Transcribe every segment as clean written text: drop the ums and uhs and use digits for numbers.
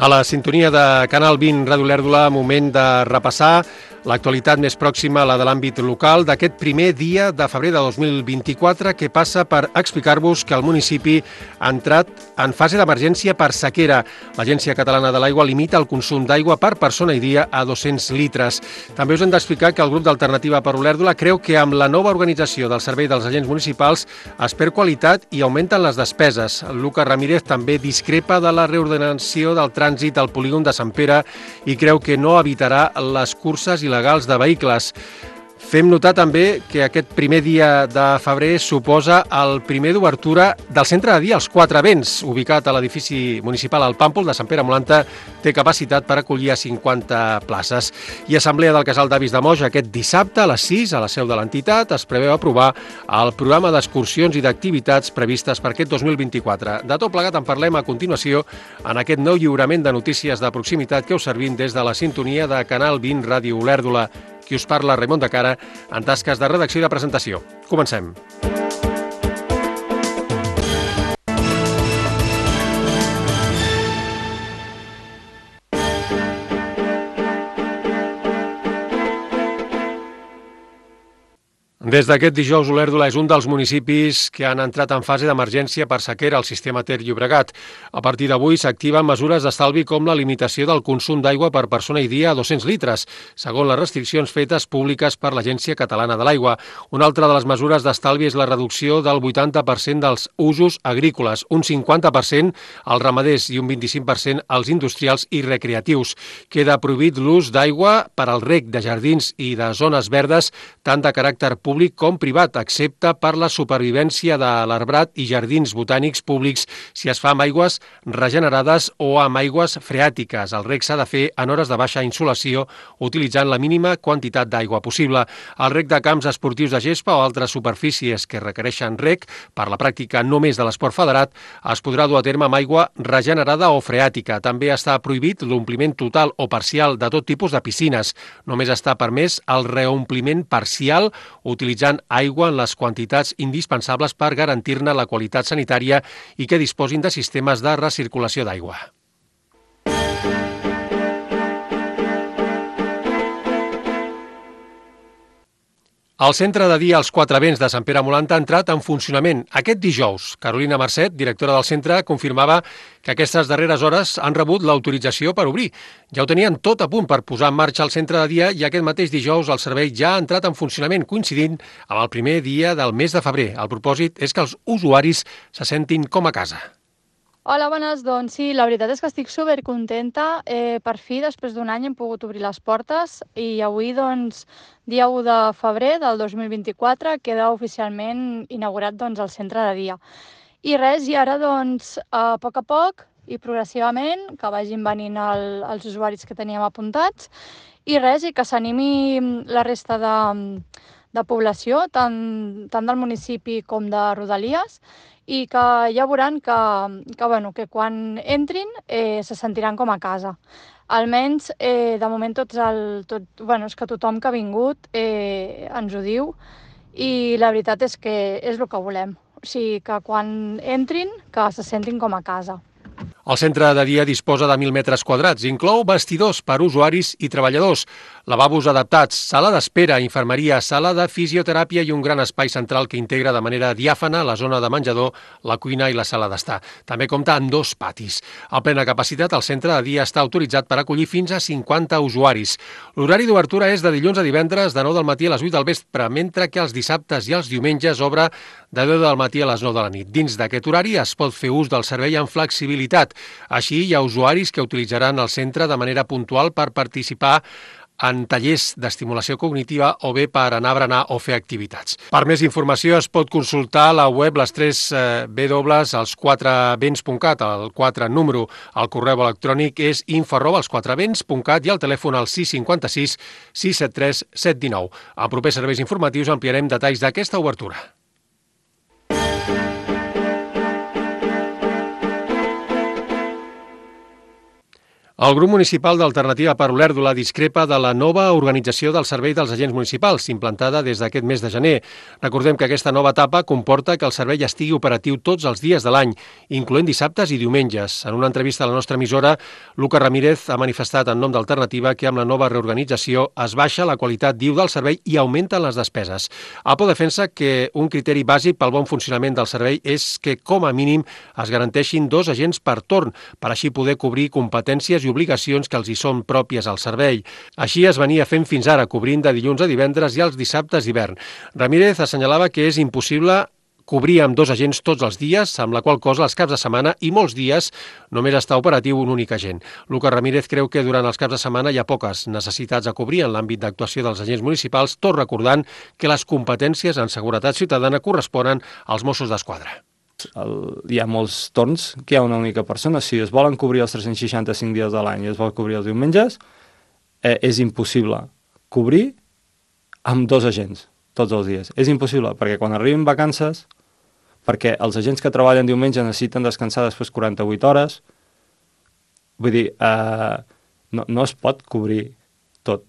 A la sintonia de Canal 20 Ràdio Olèrdola, moment de repassar l'actualitat més pròxima a la de l'àmbit local d'aquest primer dia de febrer de 2024, que passa per explicar-vos que el municipi ha entrat en fase d'emergència per sequera. L'Agència Catalana de l'Aigua limita el consum d'aigua per persona i dia a 200 litres. També us hem d'explicar que el grup d'Alternativa per Olèrdola creu que amb la nova organització del servei dels agents municipals es perd qualitat i augmenten les despeses. Lucas Ramírez també discrepa de la reordenació del trànsit al polígon de Sant Pere i creu que no evitarà les curses il·legals de vehicles. Fem notar també que aquest primer dia de febrer suposa el primer d'obertura del centre de dia Els Quatre Vents, ubicat a l'edifici municipal al Pàmpol de Sant Pere Molanta, té capacitat per acollir a 50 places. I Assemblea del Casal d'Avis de Moix aquest dissabte a les 6 a la seu de l'entitat es preveu aprovar el programa d'excursions i d'activitats previstes per aquest 2024. De tot plegat en parlem a continuació en aquest nou lliurament de notícies de proximitat que us servim des de la sintonia de Canal 20 Ràdio Olèrdola. Qui us parla, Raimon de Cara, en tasques de redacció i de presentació. Comencem. Des d'aquest dijous, Olèrdola és un dels municipis que han entrat en fase d'emergència per sequera al sistema Ter Llobregat. A partir d'avui s'activen mesures d'estalvi com la limitació del consum d'aigua per persona i dia a 200 litres, segons les restriccions fetes públiques per l'Agència Catalana de l'Aigua. Una altra de les mesures d'estalvi és la reducció del 80% dels usos agrícoles, un 50% als ramaders i un 25% als industrials i recreatius. Queda prohibit l'ús d'aigua per al reg de jardins i de zones verdes, tant de caràcter públic com privat, excepte per la supervivència de l'arbrat i jardins botànics públics si es fa amb aigües regenerades o amb aigües freàtiques. El reg s'ha de fer en hores de baixa insolació utilitzant la mínima quantitat d'aigua possible. El reg de camps esportius de gespa o altres superfícies que requereixen reg per la pràctica només de l'esport federat es podrà dur a terme amb aigua regenerada o freàtica. També està prohibit l'ompliment total o parcial de tot tipus de piscines. Només està permès el reompliment parcial utilitzant aigua en les quantitats indispensables per garantir-ne la qualitat sanitària i que disposin de sistemes de recirculació d'aigua. El centre de dia Els Quatre Vents de Sant Pere Molanta ha entrat en funcionament aquest dijous. Carolina Marcet, directora del centre, confirmava que aquestes darreres hores han rebut l'autorització per obrir. Ja ho tenien tot a punt per posar en marxa el centre de dia i aquest mateix dijous el servei ja ha entrat en funcionament, coincidint amb el primer dia del mes de febrer. El propòsit és que els usuaris se sentin com a casa. Hola, bones. Doncs sí, la veritat és que estic supercontenta. Per fi, després d'un any, hem pogut obrir les portes i avui, doncs, dia 1 de febrer del 2024, queda oficialment inaugurat el centre de dia. I res, i ara, doncs, a poc i progressivament, que vagin venint els usuaris que teníem apuntats, i res, i que s'animi la resta de població, tant del municipi com de Rodalies, i que ja veuran que quan entrin se sentiran com a casa. Almenys, de moment, és que tothom que ha vingut ens ho diu i la veritat és que és el que volem. O sigui, que quan entrin, que se sentin com a casa. El centre de dia disposa de 1.000 metres quadrats, inclou vestidors per usuaris i treballadors, lavabos adaptats, sala d'espera, infermeria, sala de fisioteràpia i un gran espai central que integra de manera diàfana la zona de menjador, la cuina i la sala d'estar. També compta amb 2 patis. A plena capacitat, el centre de dia està autoritzat per acollir fins a 50 usuaris. L'horari d'obertura és de dilluns a divendres de 9 del matí a les 8 del vespre, mentre que els dissabtes i els diumenges obre de 10 del matí a les 9 de la nit. Dins d'aquest horari es pot fer ús del servei amb flexibilitat. Així, hi ha usuaris que utilitzaran el centre de manera puntual per participar en tallers d'estimulació cognitiva o bé per anar a berenar o fer activitats. Per més informació es pot consultar a la web les 3 www.elsquatrevents.cat, el 4 número, el correu electrònic és info@elsquatrevents.cat i el telèfon al 656 673 719. En propers serveis informatius ampliarem detalls d'aquesta obertura. El grup municipal d'Alternativa per Olèrdola discrepa de la nova organització del servei dels agents municipals, implantada des d'aquest mes de gener. Recordem que aquesta nova etapa comporta que el servei estigui operatiu tots els dies de l'any, incloent dissabtes i diumenges. En una entrevista a la nostra emissora, Lucas Ramírez ha manifestat en nom d'Alternativa que amb la nova reorganització es baixa la qualitat, diu, del servei i augmenten les despeses. APO defensa que un criteri bàsic pel bon funcionament del servei és que, com a mínim, es garanteixin 2 agents per torn, per així poder cobrir competències i obligacions que els hi són pròpies al servei. Així es venia fent fins ara, cobrint de dilluns a divendres i els dissabtes d'hivern. Ramírez assenyalava que és impossible cobrir amb 2 agents tots els dies, amb la qual cosa els caps de setmana i molts dies només està operatiu un únic agent. Lucas Ramírez creu que durant els caps de setmana hi ha poques necessitats a cobrir en l'àmbit d'actuació dels agents municipals, tot recordant que les competències en seguretat ciutadana corresponen als Mossos d'Esquadra. Hi ha molts torns que hi ha una única persona. Si es volen cobrir els 365 dies de l'any i es vol cobrir els diumenges, és impossible cobrir amb 2 agents tots els dies. És impossible, perquè quan arriben vacances, perquè els agents que treballen diumenge necessiten descansar després 48 hores, vull dir, no es pot cobrir tot.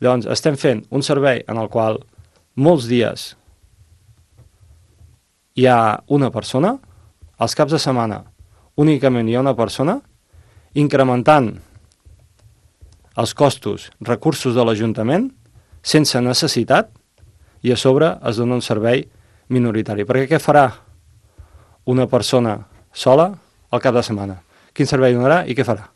Llavors, estem fent un servei en el qual molts dies hi ha una persona, als caps de setmana únicament hi ha una persona, incrementant els costos, recursos de l'Ajuntament, sense necessitat, i a sobre es dona un servei minoritari. Perquè què farà una persona sola al cap de setmana? Quin servei donarà i què farà?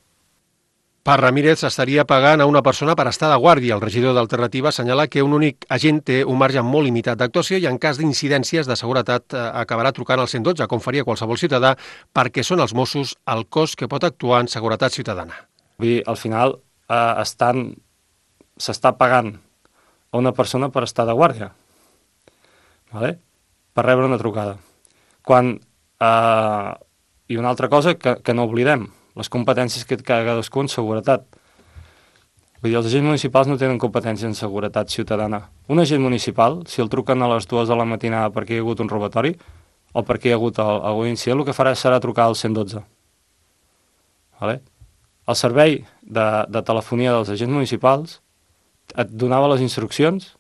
Per Ramírez s'estaria pagant a una persona per estar de guàrdia. El regidor d'Alternativa assenyala que un únic agent té un marge molt limitat d'actuació i en cas d'incidències de seguretat acabarà trucant al 112, com faria qualsevol ciutadà, perquè són els Mossos el cos que pot actuar en seguretat ciutadana. Vull dir, al final s'està pagant a una persona per estar de guàrdia, vale? Per rebre una trucada. I una altra cosa que no oblidem, les competències que cadascú en seguretat. Vull dir, els agents municipals no tenen competències en seguretat ciutadana. Un agent municipal, si el truquen a les 2 de la matinada perquè hi ha hagut un robatori o perquè hi ha hagut algun incident, el que farà serà trucar al 112. Vale? El servei de telefonia dels agents municipals et donava les instruccions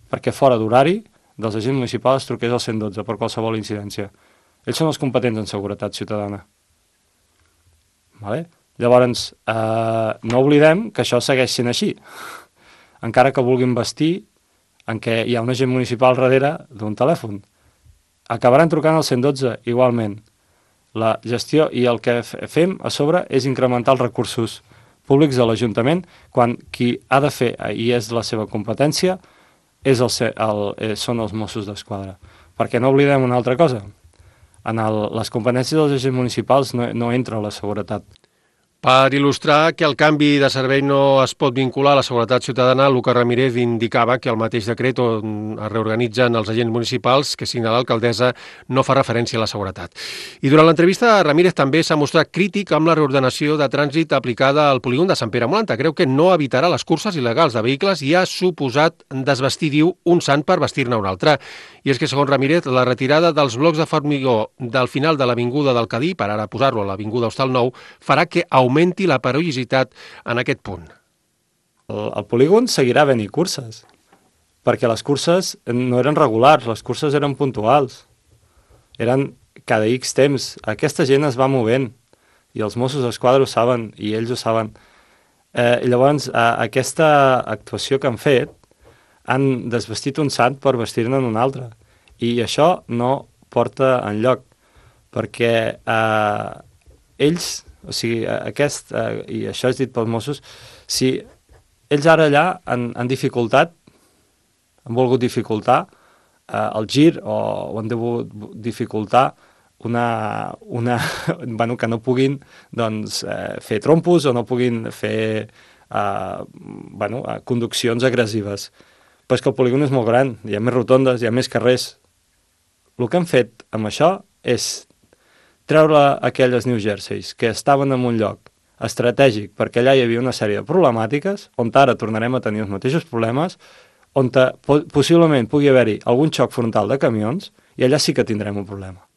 perquè fora d'horari dels agents municipals truqués al 112 per qualsevol incidència. Ells són els competents en seguretat ciutadana. Vale? Llavors, no oblidem que això segueix sent així. Encara que vulguin vestir en què hi ha un agent municipal darrere d'un telèfon. Acabaran trucant al 112 igualment. La gestió i el que fem a sobre és incrementar els recursos públics de l'Ajuntament quan qui ha de fer, i és la seva competència, són els Mossos d'Esquadra. Perquè no oblidem una altra cosa. En les competències dels agents municipals no entra la seguretat. Per il·lustrar que el canvi de servei no es pot vincular a la seguretat ciutadana, Lucas Ramírez indicava que el mateix decret on es reorganitzen els agents municipals que signa l'alcaldessa no fa referència a la seguretat. I durant l'entrevista, Ramírez també s'ha mostrat crític amb la reordenació de trànsit aplicada al polígon de Sant Pere Molanta. Creu que no evitarà les curses il·legals de vehicles i ha suposat desvestir, diu, un sant per vestir-ne un altre. I és que, segons Ramírez, la retirada dels blocs de formigó del final de l'Avinguda del Cadí, per ara posar-lo a l'Avinguda Hostal Nou, farà que augmenti la perillositat en aquest punt. El polígon seguirà havent-hi curses, perquè les curses no eren regulars, les curses eren puntuals. Eren cada X temps. Aquesta gent es va movent, i els Mossos d'Esquadra ho saben, i ells ho saben. Llavors, aquesta actuació que han fet, han desvestit un sant per vestir-ne un altre. I això no porta enlloc, perquè ells, o sigui, i això és dit pels Mossos, si ells ara allà han dificultat, han volgut dificultar el gir o han volgut dificultar bueno, que no puguin fer trompos o no puguin fer conduccions agressives. Però és que el polígon és molt gran, hi ha més rotondes, hi ha més carrers. El que han fet amb això és treure aquelles New Jerseys que estaven en un lloc estratègic perquè allà hi havia una sèrie de problemàtiques, on ara tornarem a tenir els mateixos problemes, on possiblement pugui haver-hi algun xoc frontal de camions, i allà sí que tindrem un problema.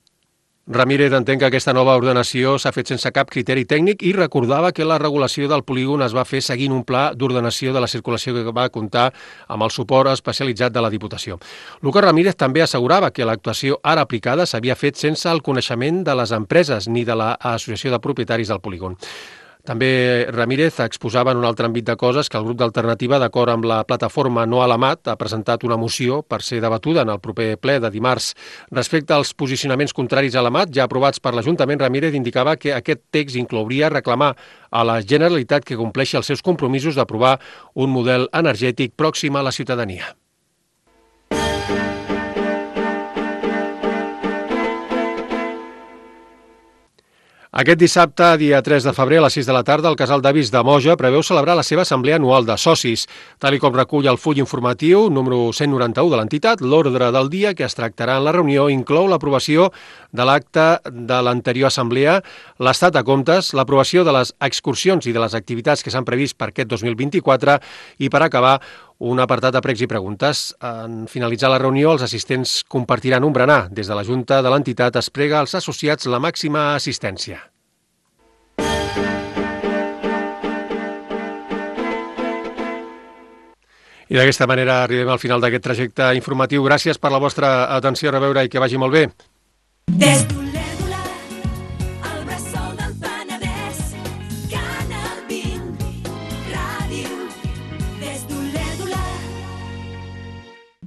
Ramírez entén que aquesta nova ordenació s'ha fet sense cap criteri tècnic i recordava que la regulació del polígon es va fer seguint un pla d'ordenació de la circulació que va comptar amb el suport especialitzat de la Diputació. Lucas Ramírez també assegurava que l'actuació ara aplicada s'havia fet sense el coneixement de les empreses ni de l'Associació de Propietaris del polígon. També Ramírez exposava en un altre àmbit de coses que el grup d'Alternativa, d'acord amb la plataforma No a l'Amat, ha presentat una moció per ser debatuda en el proper ple de dimarts. Respecte als posicionaments contraris a l'Amat, ja aprovats per l'Ajuntament, Ramírez indicava que aquest text inclouria reclamar a la Generalitat que compleixi els seus compromisos d'aprovar un model energètic pròxim a la ciutadania. Aquest dissabte, dia 3 de febrer, a les 6 de la tarda, el Casal d'Avis de Moja preveu celebrar la seva assemblea anual de socis. Tal com recull el full informatiu número 191 de l'entitat, l'ordre del dia que es tractarà en la reunió inclou l'aprovació de l'acte de l'anterior assemblea, l'estat de comptes, l'aprovació de les excursions i de les activitats que s'han previst per aquest 2024 i, per acabar, un apartat de pregs i preguntes. En finalitzar la reunió, els assistents compartiran un berenar. Des de la Junta de l'entitat es prega als associats la màxima assistència. I d'aquesta manera arribem al final d'aquest trajecte informatiu. Gràcies per la vostra atenció, a reveure i que vagi molt bé.